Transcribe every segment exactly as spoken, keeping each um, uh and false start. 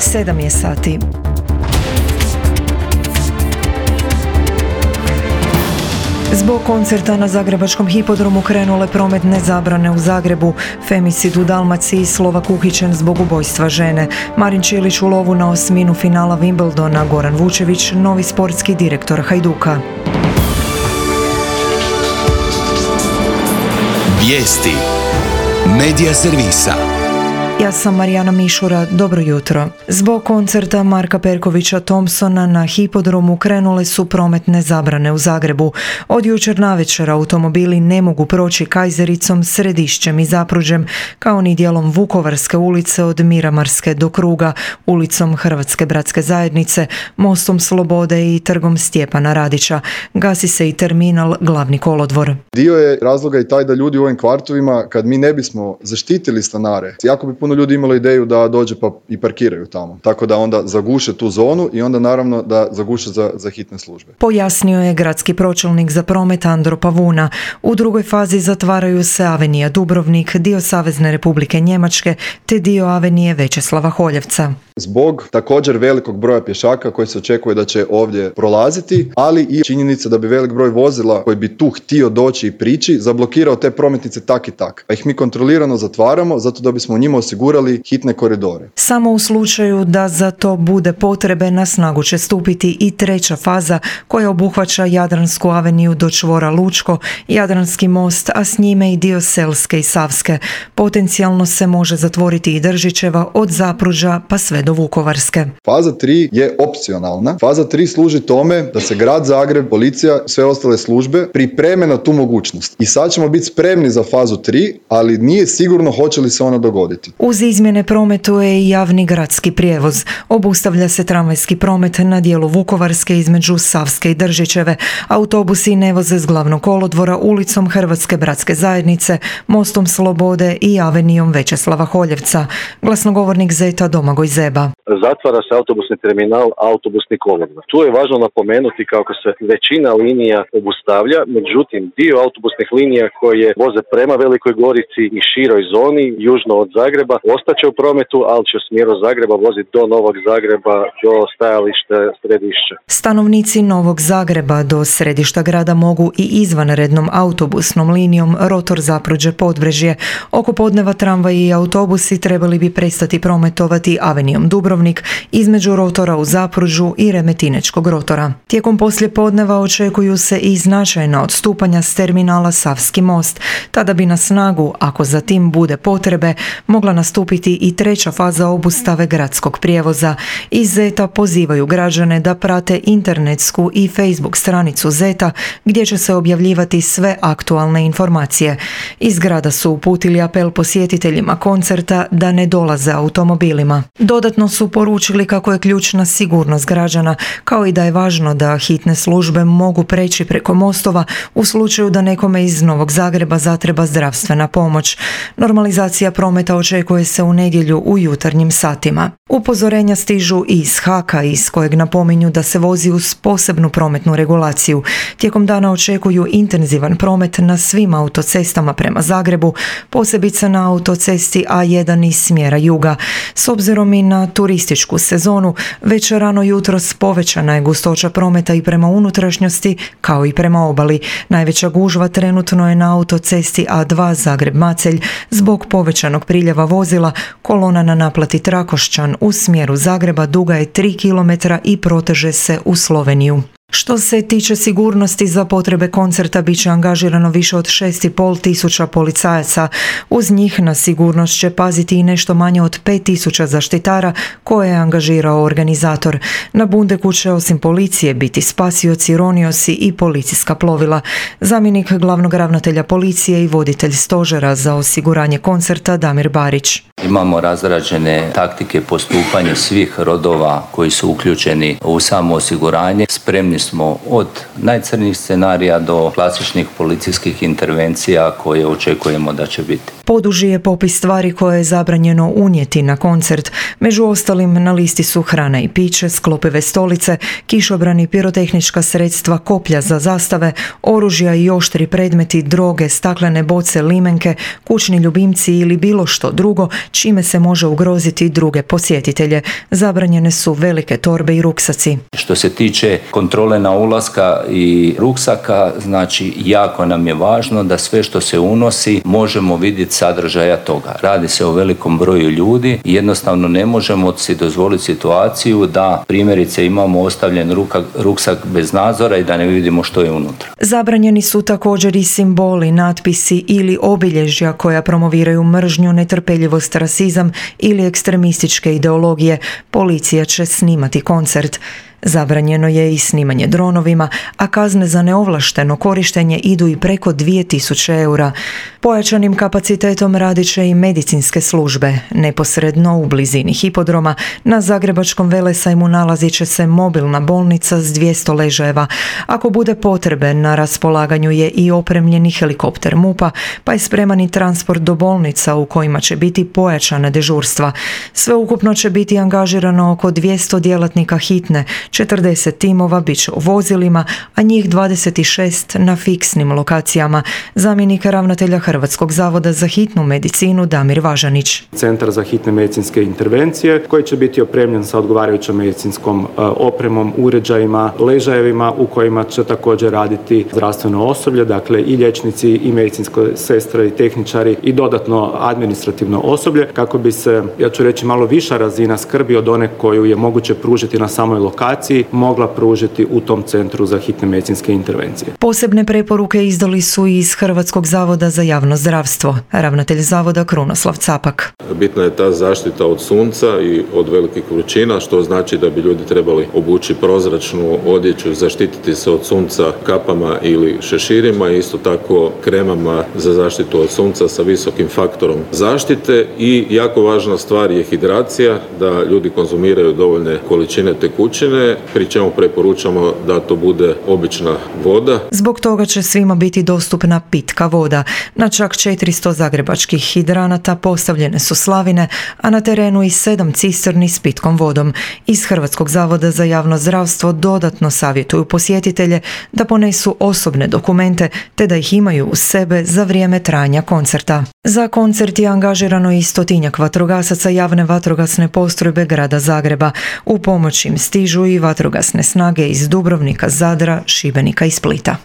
Sedam je sati. Zbog koncerta na zagrebačkom hipodromu krenule prometne zabrane u Zagrebu. Femicid u Dalmaciji, Slovak uhićen zbog ubojstva žene. Marin Čilić u lovu na osminu finala Wimbledona, Goran Vučević, novi sportski direktor Hajduka. Vijesti Medija servisa. Ja sam Marijana Mišura, dobro jutro. Zbog koncerta Marka Perkovića Thompsona na hipodromu krenule su prometne zabrane u Zagrebu. Od jučer navečer automobili ne mogu proći Kajzericom, Središćem i Zapruđem, kao ni dijelom Vukovarske ulice od Miramarske do Kruga, ulicom Hrvatske bratske zajednice, mostom Slobode i trgom Stjepana Radića. Gasi se i terminal Glavni kolodvor. Dio je razloga i taj da ljudi u ovim kvartovima, kad mi ne bismo zaštitili stanare, jako bi puno ljudi imalo ideju da dođe pa i parkiraju tamo. Tako da onda zaguše tu zonu i onda naravno da zaguše za, za hitne službe. Pojasnio je gradski pročelnik za promet Andro Pavuna. U drugoj fazi zatvaraju se Avenija Dubrovnik, dio Savezne Republike Njemačke te dio Avenije Večeslava Holjevca. Zbog također velikog broja pješaka koji se očekuje da će ovdje prolaziti, ali i činjenica da bi velik broj vozila koji bi tu htio doći i prići zablokirao te prometnice tak i tak. A ih mi kontrolirano zatvaramo zato da bismo njima osigurali hitne koridore. Samo u slučaju da za to bude potrebe na snagu će stupiti i treća faza koja obuhvaća Jadransku aveniju do čvora Lučko, Jadranski most, a s njime i dio Selske i Savske. Potencijalno se može zatvoriti i Držićeva od Zapruđa pa sve do Vukovarske. Faza tri je opcionalna. Faza tri služi tome da se grad Zagreb, policija, sve ostale službe pripreme na tu mogućnost. I sad ćemo biti spremni za fazu tri, ali nije sigurno hoće li se ona dogoditi. Uz izmjene prometuje i javni gradski prijevoz. Obustavlja se tramvajski promet na dijelu Vukovarske između Savske i Držićeve. Autobusi ne voze s Glavnog kolodvora, ulicom Hrvatske bratske zajednice, mostom Slobode i avenijom Večeslava Holjevca. Glasnogovornik Zeta Domagoj Zeba. Zatvara se autobusni terminal, autobusni kolodvor. Tu je važno napomenuti kako se većina linija obustavlja, međutim dio autobusnih linija koje voze prema Velikoj Gorici i široj zoni, južno od Zagreba, ostaće u prometu, ali će u smjeru Zagreba voziti do Novog Zagreba, do stajališta Središća. Stanovnici Novog Zagreba do središta grada mogu i izvanrednom autobusnom linijom Rotor Zapruđe Podbrežje. Oko podneva tramvaji i autobusi trebali bi prestati prometovati avenijom Dubrovnik između Rotora u Zapruđu i Remetinečkog rotora. Tijekom poslijepodneva očekuju se i značajna odstupanja s terminala Savski most. Tada bi na snagu, ako za tim bude potrebe, mogla nastupiti i treća faza obustave gradskog prijevoza. Iz Zeta pozivaju građane da prate internetsku i Facebook stranicu Zeta gdje će se objavljivati sve aktualne informacije. Iz grada su uputili apel posjetiteljima koncerta da ne dolaze automobilima. Dodatno su poručili kako je ključna sigurnost građana, kao i da je važno da hitne službe mogu preći preko mostova u slučaju da nekome iz Novog Zagreba zatreba zdravstvena pomoć. Normalizacija prometa očekuje se u nedjelju u jutarnjim satima. Upozorenja stižu i iz Haka, iz kojeg napominju da se vozi uz posebnu prometnu regulaciju. Tijekom dana očekuju intenzivan promet na svim autocestama prema Zagrebu, posebice na autocesti A jedan iz smjera juga. S obzirom i na turističku sezonu, već rano jutros povećana je gustoća prometa i prema unutrašnjosti kao i prema obali. Najveća gužva trenutno je na autocesti A dva Zagreb-Macelj zbog povećanog priljeva vozila. Kolona na naplati Trakošćan u smjeru Zagreba duga je tri kilometra i proteže se u Sloveniju. Što se tiče sigurnosti, za potrebe koncerta bit će angažirano više od šest i pol tisuća policajaca. Uz njih na sigurnost će paziti i nešto manje od pet tisuća zaštitara koje je angažirao organizator. Na Bundeku će osim policije biti spasioci, roniosi i policijska plovila. Zamjenik glavnog ravnatelja policije i voditelj stožera za osiguranje koncerta Damir Barić. Imamo razrađene taktike postupanja svih rodova koji su uključeni u samo osiguranje. Spremni smo od najcrnjih scenarija do klasičnih policijskih intervencija koje očekujemo da će biti. Poduži je popis stvari koje je zabranjeno unijeti na koncert. Među ostalim na listi su hrana i piće, sklopive stolice, kišobrani, pirotehnička sredstva, koplja za zastave, oružja i oštri predmeti, droge, staklene boce, limenke, kućni ljubimci ili bilo što drugo čime se može ugroziti druge posjetitelje. Zabranjene su velike torbe i ruksaci. Što se tiče kontrole na ulaska i ruksaka, znači jako nam je važno da sve što se unosi možemo vidjeti sadržaja toga. Radi se o velikom broju ljudi i jednostavno ne možemo si dozvoliti situaciju da primjerice imamo ostavljen ruka, ruksak bez nadzora i da ne vidimo što je unutra. Zabranjeni su također i simboli, natpisi ili obilježja koja promoviraju mržnju, netrpeljivost, rasizam ili ekstremističke ideologije. Policija će snimati koncert. Zabranjeno je i snimanje dronovima, a kazne za neovlašteno korištenje idu i preko dvije tisuće eura. Pojačanim kapacitetom radit će i medicinske službe. Neposredno u blizini hipodroma na Zagrebačkom velesajmu nalazit će se mobilna bolnica s dvjesto ležajeva. Ako bude potrebe, na raspolaganju je i opremljeni helikopter MUP-a, pa je spreman i transport do bolnica u kojima će biti pojačana dežurstva. Sveukupno će biti angažirano oko dvjesto djelatnika hitne, četrdeset timova bit će u vozilima, a njih dvadeset šest na fiksnim lokacijama. Zamjenik ravnatelja Hrvatskog zavoda za hitnu medicinu Damir Važanić. Centar za hitne medicinske intervencije koji će biti opremljen sa odgovarajućom medicinskom opremom, uređajima, ležajevima u kojima će također raditi zdravstveno osoblje, dakle i liječnici i medicinske sestre i tehničari i dodatno administrativno osoblje kako bi se, ja ću reći, malo viša razina skrbi od one koju je moguće pružiti na samoj lokaciji mogla pružiti u tom centru za hitne medicinske intervencije. Posebne preporuke izdali su i iz Hrvatskog zavoda za javno zdravstvo. Ravnatelj zavoda Krunoslav Capak. Bitna je ta zaštita od sunca i od velikih vrućina, što znači da bi ljudi trebali obući prozračnu odjeću, zaštititi se od sunca kapama ili šeširima, isto tako kremama za zaštitu od sunca sa visokim faktorom zaštite i jako važna stvar je hidracija, da ljudi konzumiraju dovoljne količine tekućine, pri čemu preporučamo da to bude obična voda. Zbog toga će svima biti dostupna pitka voda. Na čak četiristo zagrebačkih hidranata postavljene su slavine, a na terenu i sedam cisterni s pitkom vodom. Iz Hrvatskog zavoda za javno zdravstvo dodatno savjetuju posjetitelje da ponesu osobne dokumente te da ih imaju uz sebe za vrijeme trajanja koncerta. Za koncert je angažirano i stotinjak vatrogasaca javne vatrogasne postrojbe grada Zagreba. U pomoć im stižu i vatrogasne snage iz Dubrovnika, Zadra, Šibenika i Splita.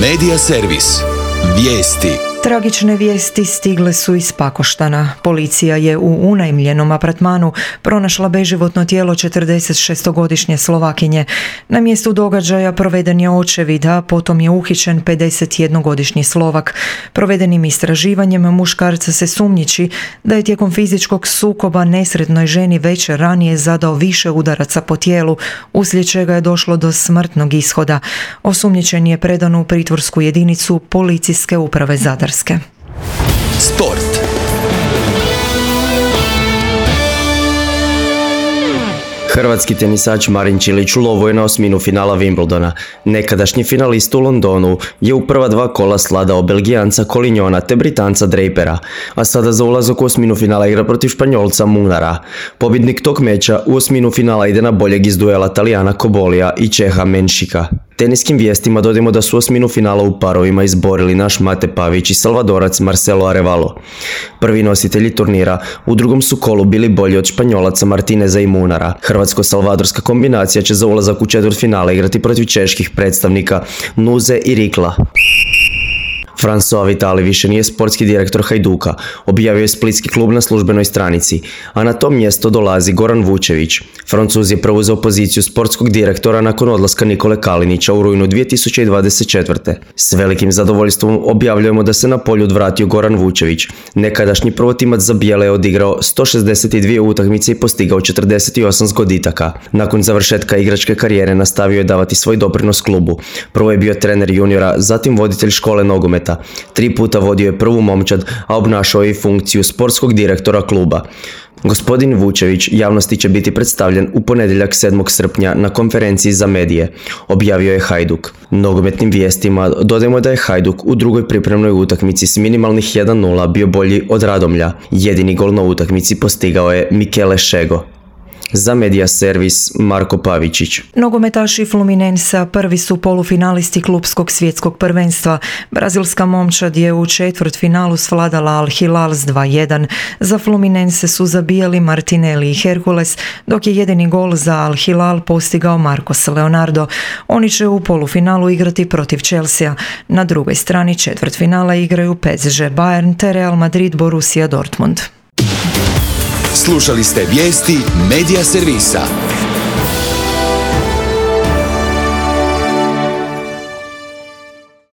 Medija servis. Vijesti. Tragične vijesti stigle su iz Pakoštana. Policija je u unajmljenom apartmanu pronašla beživotno tijelo četrdesetšestogodišnje Slovakinje. Na mjestu događaja proveden je očevid, a potom je uhićen pedesetjednogodišnji Slovak. Provedenim istraživanjem muškarca se sumnjiči da je tijekom fizičkog sukoba nesretnoj ženi večer ranije zadao više udaraca po tijelu, uslijed čega je došlo do smrtnog ishoda. Osumnjičen je predan u pritvorsku jedinicu Policijske uprave Zadar. Sport. Hrvatski tenisač Marin Čilić ulovio je na osminu finala Wimbledona. Nekadašnji finalist u Londonu je u prva dva kola sladao Belgijanca Collignona te Britanca Drapera, a sada za ulazak u osminu finala igra protiv Španjolca Munara. Pobjednik tog meča u osminu finala ide na boljeg iz duela Talijana Kobolija i Čeha Menšika. Teniskim vijestima dodajemo da su osminu finala u parovima izborili naš Mate Pavić i Salvadorac Marcelo Arevalo. Prvi nositelji turnira u drugom su kolu bili bolji od Španjolaca Martineza i Munara. Hrvatsko-salvadorska kombinacija će za ulazak u četvrtfinale igrati protiv čeških predstavnika Nuze i Rikla. François Vitali više nije sportski direktor Hajduka, objavio je splitski klub na službenoj stranici, a na to mjesto dolazi Goran Vučević. Francuz je preuzeo poziciju sportskog direktora nakon odlaska Nikole Kalinića u rujnu dvije tisuće dvadeset četvrte. S velikim zadovoljstvom objavljujemo da se na polju odvratio Goran Vučević. Nekadašnji prvotimac za bijele je odigrao sto šezdeset dvije utakmice i postigao četrdeset osam zgoditaka. Nakon završetka igračke karijere nastavio je davati svoj doprinos klubu. Prvo je bio trener juniora, zatim voditelj škole nogometa. Tri puta vodio je prvu momčad, a obnašao je i funkciju sportskog direktora kluba. Gospodin Vučević javnosti će biti predstavljen u ponedjeljak sedmog srpnja na konferenciji za medije, objavio je Hajduk. Nogometnim vijestima dodajemo da je Hajduk u drugoj pripremnoj utakmici s minimalnih jedan nula bio bolji od Radomlja. Jedini gol na utakmici postigao je Mikele Šego. Za Medija servis Marko Pavičić. Nogometaši Fluminensa prvi su polufinalisti klupskog svjetskog prvenstva. Brazilska momčad je u četvrtfinalu svladala Al Hilal s dva jedan. Za Fluminense su zabijali Martinelli i Hercules, dok je jedini gol za Al Hilal postigao Marcos Leonardo. Oni će u polufinalu igrati protiv Chelsea. Na drugoj strani četvrtfinala igraju P S G Bayern te Real Madrid Borussia Dortmund. Slušali ste vijesti Medija servisa.